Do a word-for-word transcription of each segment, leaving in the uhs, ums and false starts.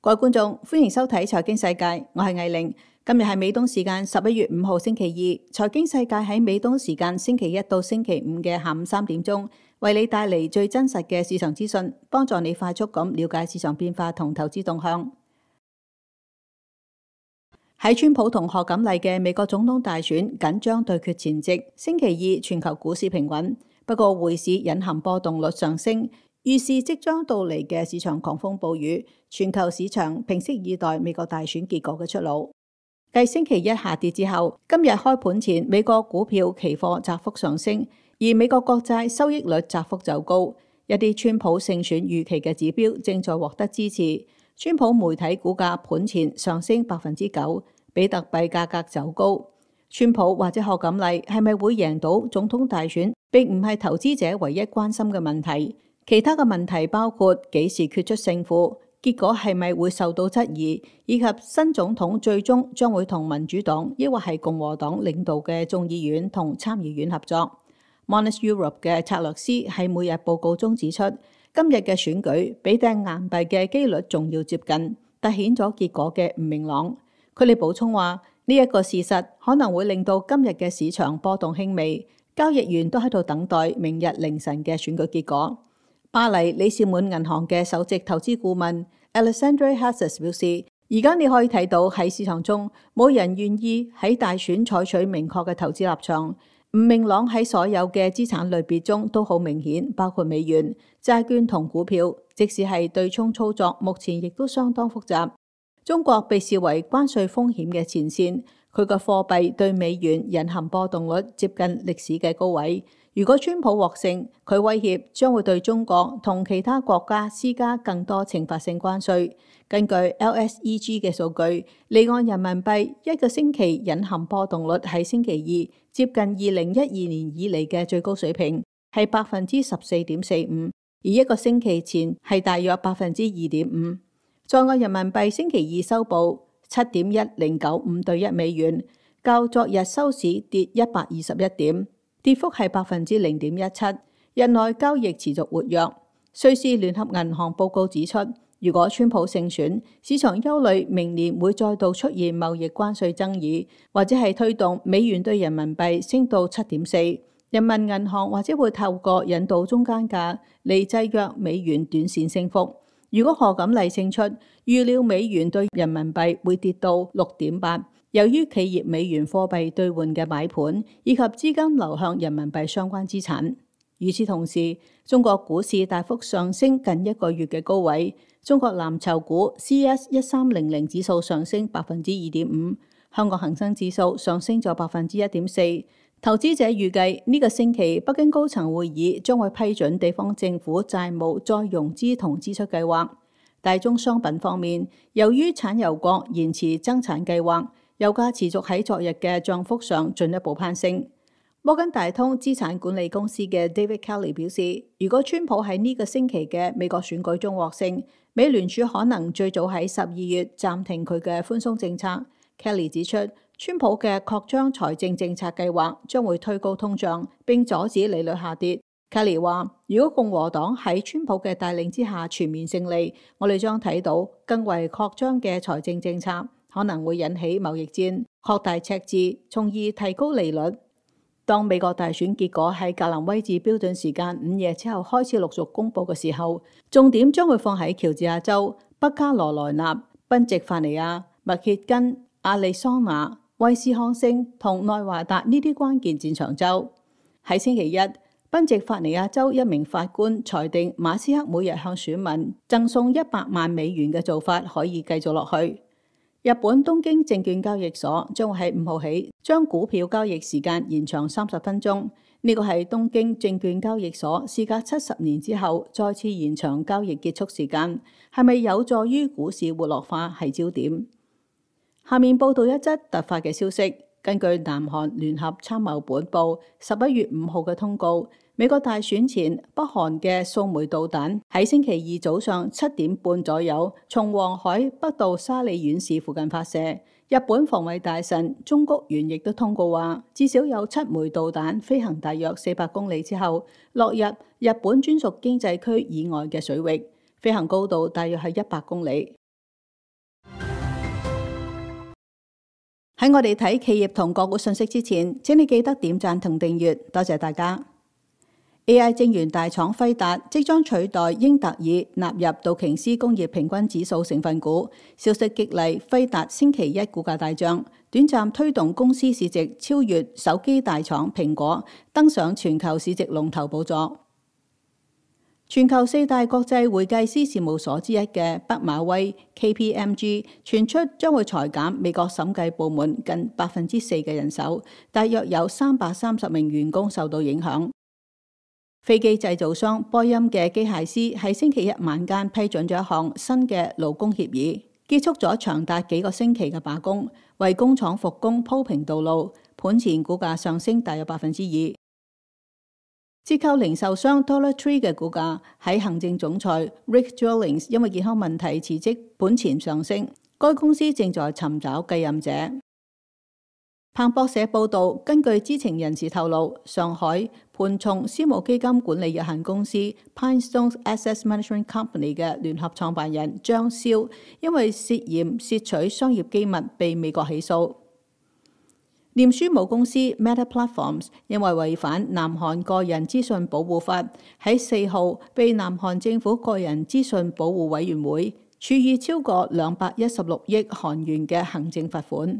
各位觀眾，歡迎收睇財經世界，我係藝玲。今日係美東時間十一月五號星期二，財經世界喺美東時間星期一到星期五嘅下午三點鐘，為你帶嚟最真實嘅市場資訊，幫助你快速咁了解市場變化同投資動向。喺川普同賀錦麗嘅美國總統大選緊張對決前夕，星期二全球股市平穩，不過匯市隱含波動率上升，預示即將到嚟嘅市場狂風暴雨。全球市場屏息以待美國大選結果嘅出爐。繼星期一下跌之後，今日開盤前美國股票期貨窄幅上升，而美國國債收益率窄幅走高。一啲川普勝選預期嘅指標正在獲得支持。川普媒體股價盤前上升百分之九，比特幣價格走高。川普或者賀錦麗係咪會贏到總統大選，並唔係投資者唯一關心嘅問題。其他嘅問題包括幾時決出勝負，結果係咪會受到質疑，以及新總統最終將會同民主黨抑或係共和黨領導嘅眾議院同參議院合作。Monex Europe 嘅策略師喺每日報告中指出，今日嘅選舉比掟硬幣嘅機率仲要接近，凸顯咗結果嘅唔明朗。佢哋補充話，呢一個事實可能會令到今日嘅市場波動輕微，交易員都喺度等待明日凌晨嘅選舉結果。巴黎李士滿銀行嘅首席投資顧問 Alexandre Hassas 表示，而家你可以睇到喺市場中冇人願意喺大選採取明確嘅投資立場，唔明朗喺所有嘅資產類別中都好明顯，包括美元、債券同股票，即使係對沖操作，目前亦都相當複雜。中國被視為關稅風險嘅前線，佢個貨幣對美元隱含波動率接近歷史嘅高位。如果川普獲勝，佢威脅將會對中國同其他國家施加更多懲罰性關稅。根據 L S E G 嘅數據，離岸人民幣一個星期隱含波動率喺星期二接近二零一二年以嚟嘅最高水平，係百分之十四點四五，而一個星期前係大約百分之二點五。在岸人民幣星期二收報七點一零九五對一美元，較昨日收市跌一百二十一點。跌幅係百分之零點一七，日內交易持續活躍。瑞士聯合銀行報告指出，如果川普勝選，市場憂慮明年會再度出現貿易關稅爭議，或者係推動美元對人民幣升到七點四。人民銀行或者會透過引導中間價嚟制約美元短線升幅。如果賀錦麗勝出，預料美元對人民幣會跌到六點八。由於企業美元貨幣兌換嘅買盤以及資金流向人民幣相關資產。與此同時，中國股市大幅上升近一個月嘅高位，中國藍籌股 C S 一三零零指數上升百分之二點五，香港恒生指數上升咗百分之一點四。投資者預計呢個星期北京高層會議將會批准地方政府債務再融資同支出計劃。大宗商品方面，由於產油國延遲增產計劃，油價持續喺昨日嘅漲幅上進一步攀升。摩根大通資產管理公司嘅 David Kelly 表示，如果川普喺呢個星期嘅美國選舉中獲勝，美聯儲可能最早喺十二月暫停佢嘅寬鬆政策。Kelly 指出，川普嘅擴張財政政策計劃將會推高通脹並阻止利率下跌。Kelly 話，如果共和黨喺川普嘅帶領之下全面勝利，我哋將睇到更為擴張嘅財政政策，可能會引起貿易戰、擴大赤字，從而提高利率。當美國大選結果喺格林威治標準時間午夜之後開始陸續公佈嘅時候，重點將會放喺喬治亞州、北卡羅來納、賓夕法尼亞、密歇根、亞利桑那、威斯康星同內華達呢啲關鍵戰場州。喺星期一，賓夕法尼亞州一名法官裁定馬斯克每日向選民贈送一百萬美元嘅做法可以繼續落去。日本東京證券交易所將會喺五號起將股票交易時間延長三十分鐘，呢個係東京證券交易所事隔七十年之後再次延長交易結束時間，係咪有助於股市活絡化係焦點。下面報道一則突發嘅消息，根據南韓聯合參謀本部十一月五號嘅通告，美國大選前，北韓嘅數枚導彈喺星期二早上七點半左右，從黃海北到沙里縣市附近發射。日本防衛大臣中谷元亦都通告話，至少有七枚導彈飛行大約四百公里之後，落入日本專屬經濟區以外嘅水域，飛行高度大約係一百公里。喺我哋睇企業同個股信息之前，請你記得點讚同訂閱，多謝大家。A I 晶圓大廠輝達即將取代英特爾納入道瓊斯工業平均指數成分股，消息激勵輝達星期一股價大漲，短暫推動公司市值超越手機大廠蘋果，登上全球市值龍頭寶座。全球四大國際會計師事務所之一嘅畢馬威 K P M G 傳出將會裁減美國審計部門近百分之四嘅人手，大約有三百三十名員工受到影響。飛機製造商波音嘅機械師喺星期一晚間批准咗一項新嘅勞工協議，結束咗長達幾個星期嘅罷工，為工廠復工鋪平道路。盤前股價上升大約百分之二。折扣零售商 Dollar Tree 嘅股價喺行政總裁 Rick Dwellings 因為健康問題辭職，盤前上升。該公司正在尋找繼任者。彭博社報道，根據知情人士透露，上海盤松私募基金管理有限公司 PineStone Asset Management Company 嘅聯合創辦人張蕭，因為涉嫌竊取商業機密被美國起訴。臉書母公司 Meta Platforms 因為違反南韓個人資訊保護法，喺四號被南韓政府個人資訊保護委員會處以超過兩百一十六億韓元嘅行政罰款。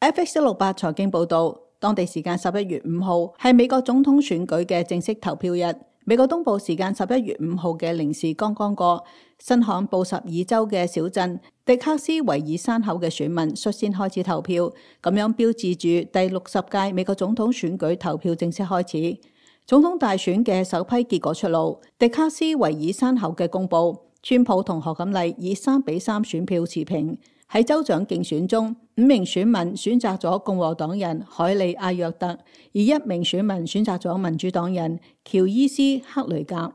F X 一六八財經報導，當地時間十一月五號係美國總統選舉嘅正式投票日。美國東部時間十一月五號嘅零時剛剛過，新罕布什爾州嘅小鎮迪克斯維爾山口嘅選民率先開始投票，咁樣標誌住第六十屆美國總統選舉投票正式開始。總統大選嘅首批結果出爐，迪克斯維爾山口嘅公佈，川普同賀錦麗以三比三選票持平。喺州長競選中，五名選民選擇咗共和黨人海利阿約特，而一名選民選擇咗民主黨人喬伊斯克雷格。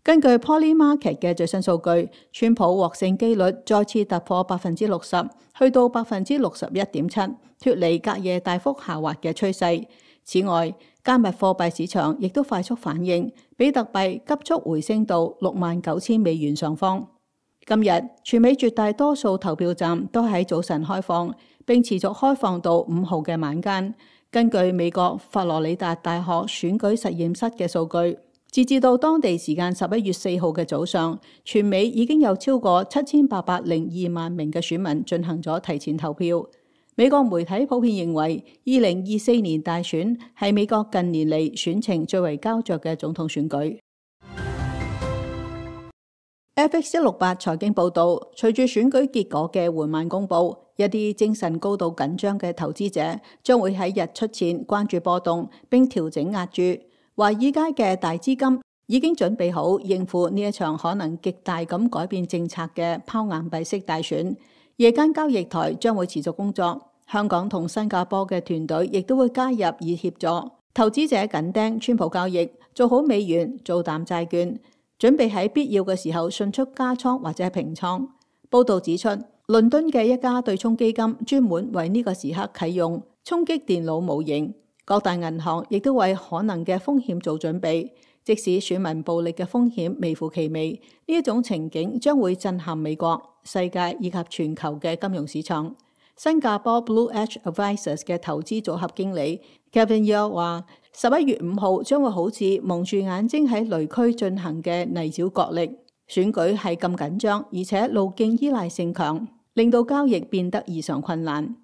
根據 Polymarket 嘅最新數據，川普獲勝機率再次突破百分之六十，去到百分之六十一點七，脫離隔夜大幅下滑嘅趨勢。此外，加密貨幣市場亦都快速反應，比特幣急速回升到六萬九千美元上方。今日全美絕大多數投票站都喺早晨開放，並持續開放到五號嘅晚間。根據美國佛羅里達大學選舉實驗室嘅數據，截至到當地時間十一月四號嘅早上，全美已經有超過七千八百零二萬名嘅選民進行咗提前投票。美國媒體普遍認為，二零二四年大選係美國近年嚟選情最為膠着嘅總統選舉。F X 一六八財經報導，隨住選舉結果嘅緩慢公佈，一啲精神高度緊張嘅投資者將會喺日出前關注波動並調整押注。華爾街嘅大資金已經準備好應付呢一場可能極大咁改變政策嘅拋硬幣式大選。夜間交易台將會持續工作，香港同新加坡嘅團隊亦都會加入以協助投資者緊盯川普交易，做好美元，做淡債券。準備喺必要嘅時候迅速加倉或者係平倉。報導指出，倫敦嘅一家對沖基金專門為呢個時刻啟用衝擊電腦模型。各大銀行亦都為可能嘅風險做準備，即使選民暴力嘅風險微乎其微，呢一種情景將會震撼美國、世界以及全球嘅金融市場。新加坡 Blue Edge Advisors 嘅投資組合經理 Kevin Yeoh 話：十一月五號將會好似蒙住眼睛喺雷區進行嘅泥沼角力。選舉係咁緊張，而且路徑依賴性強，令到交易變得異常困難。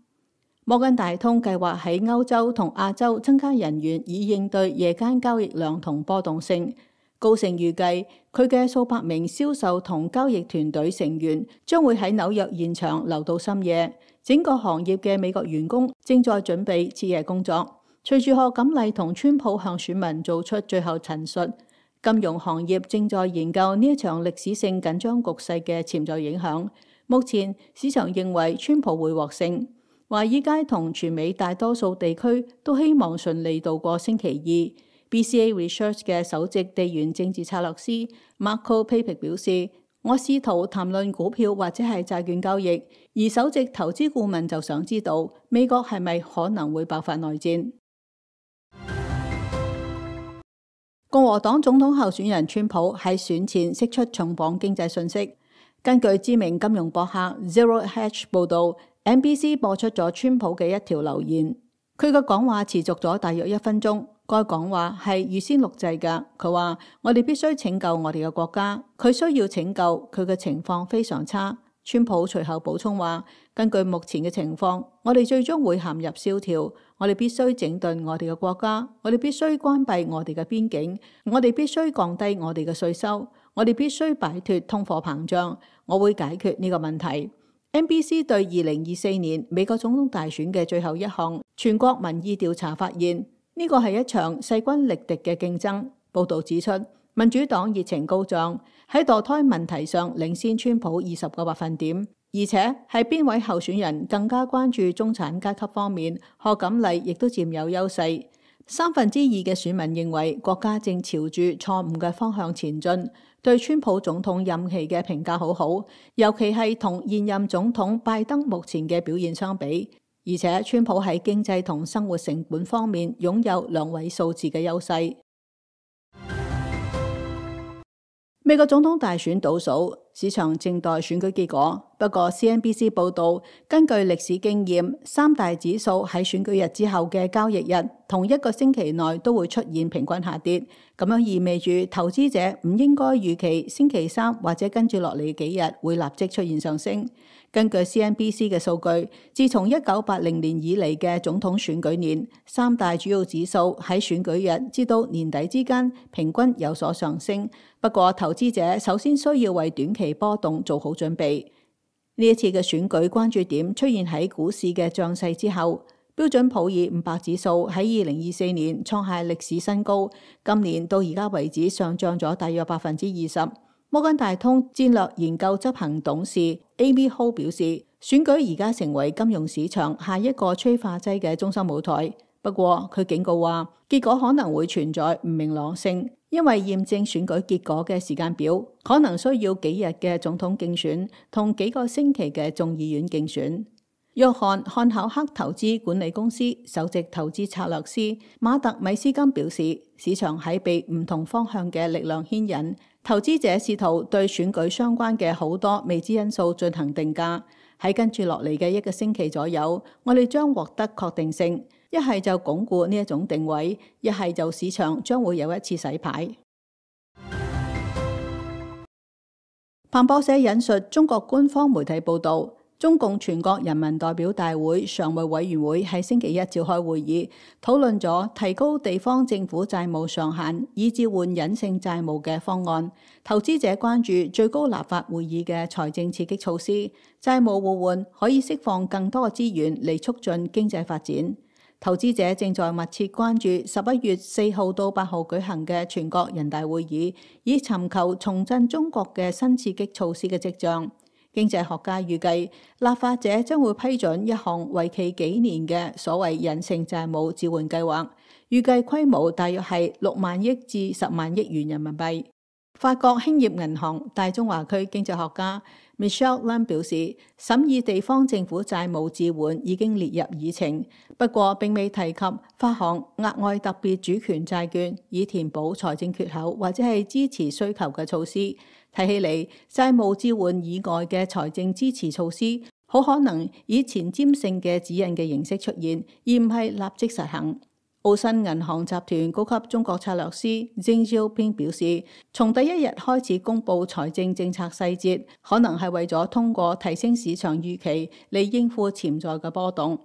摩根大通計劃喺歐洲同亞洲增加人員，以應對夜間交易量同波動性。高盛預計佢嘅數百名銷售同交易團隊成員將會喺紐約現場留到深夜。整個行業嘅美國員工正在準備徹夜工作。隨住賀錦麗同川普向選民做出最後陳述，金融行業正在研究呢一場歷史性緊張局勢嘅潛在影響。目前市場認為川普會獲勝。華爾街同全美大多數地區都希望順利度過星期二。B C A Research 嘅首席地緣政治策略師 Marco Papic 表示：我試圖談論股票或者係債券交易，而首席投資顧問就想知道美國係咪可能會爆發內戰。共和黨總統候選人川普喺選前釋出重磅經濟訊息。根據知名金融博客 Zero Hedge 報道，N B C 播出咗川普嘅一條留言，佢嘅講話持續咗大約一分鐘。該講話係預先錄製㗎。佢話：我哋必須拯救我哋嘅國家，佢需要拯救，佢嘅情況非常差。川普隨後補充話：根據目前嘅情況，我哋最終會陷入蕭條。我哋必須整頓我哋嘅國家，我哋必須關閉我哋嘅邊境，我哋必須降低我哋嘅稅收，我哋必須擺脫通貨膨脹。我會解決呢個問題。N B C 對二零二四年美國總統大選嘅最後一項全國民意調查發現，呢個係一場勢均力敵嘅競爭。報導指出，民主黨熱情高漲，喺墮胎問題上領先川普二十個百分點，而且係邊位候選人更加關注中產階級方面，賀錦麗亦都佔有優勢。三分之二嘅選民認為國家正朝住錯誤嘅方向前進，對川普總統任期嘅評價好好，尤其係同現任總統拜登目前嘅表現相比。而且川普喺經濟同生活成本方面擁有兩位數字嘅優勢。美國總統大選倒數，市場正待選舉結果。不過 C N B C 報道，根據歷史經驗，三大指數喺選舉日之後嘅交易日同一個星期內都會出現平均下跌，咁樣意味住投資者唔應該預期星期三或者跟住落嚟幾日會立即出現上升。根據 C N B C 嘅數據，自從一九八零年以嚟嘅總統選舉年，三大主要指數喺選舉日至到年底之間平均有所上升。不過投資者首先需要為短期波動做好準備。呢一次嘅選舉關注點出現喺股市嘅漲勢之後，標準普爾五百指數喺二零二四年創下歷史新高，今年到而家為止上漲咗大約百分之二十。摩根大通戰略研究執行董事 Amy Ho 表示，選舉而家成為金融市場下一個催化劑嘅中心舞台。不過佢警告話，結果可能會存在唔明朗性，因為驗證選舉結果嘅時間表可能需要幾日嘅總統競選同幾個星期嘅眾議院競選。約翰漢考克投資管理公司首席投資策略師馬特米斯金表示，市場喺被唔同方向嘅力量牽引，投資者試圖對選舉相關嘅好多未知因素進行定價。喺跟住落嚟嘅一個星期左右，我哋將獲得確定性，一係就鞏固呢一種定位，一係就市場將會有一次洗牌。彭博社引述中國官方媒體報道，中共全國人民代表大會常務委員會喺星期一召開會議，討論咗提高地方政府債務上限以置換隱性債務嘅方案。投資者關注最高立法會議嘅財政刺激措施，債務互換可以釋放更多嘅資源嚟促進經濟發展。投資者正在密切關注十一月四號到八號舉行嘅全國人大會議，以尋求重振中國嘅新刺激措施嘅跡象。經濟學家預計，立法者將會批准一項為期幾年嘅所謂隱性債務置換計劃，預計規模大約係六萬億至十萬億元人民幣。法國興業銀行大中華區經濟學家 Michelle Lam 表示，審議地方政府債務置換已經列入議程，不過並未提及發行額外特別主權債券以填補財政缺口或者係支持需求嘅措施。睇起嚟，債務置換以外嘅財政支持措施，好可能以前瞻性嘅指引嘅形式出現，而唔係立即實行。澳新銀行集團高級中國策略師鄭少平表示，從第一日開始公布財政政策細節，可能係為咗通過提升市場預期嚟應付潛在嘅波動。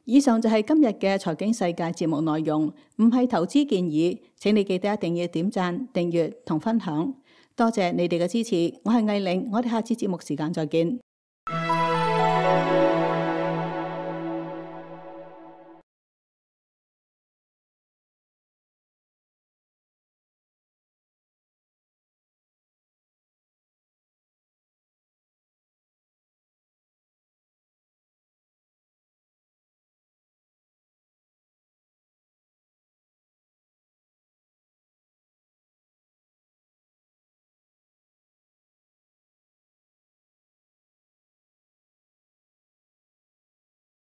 以上就係今日嘅財經世界節目內容，唔係投資建議，請你記得一定要點讚、訂閱同分享。多謝你哋嘅支持，我係藝玲，我哋下次節目時間再見。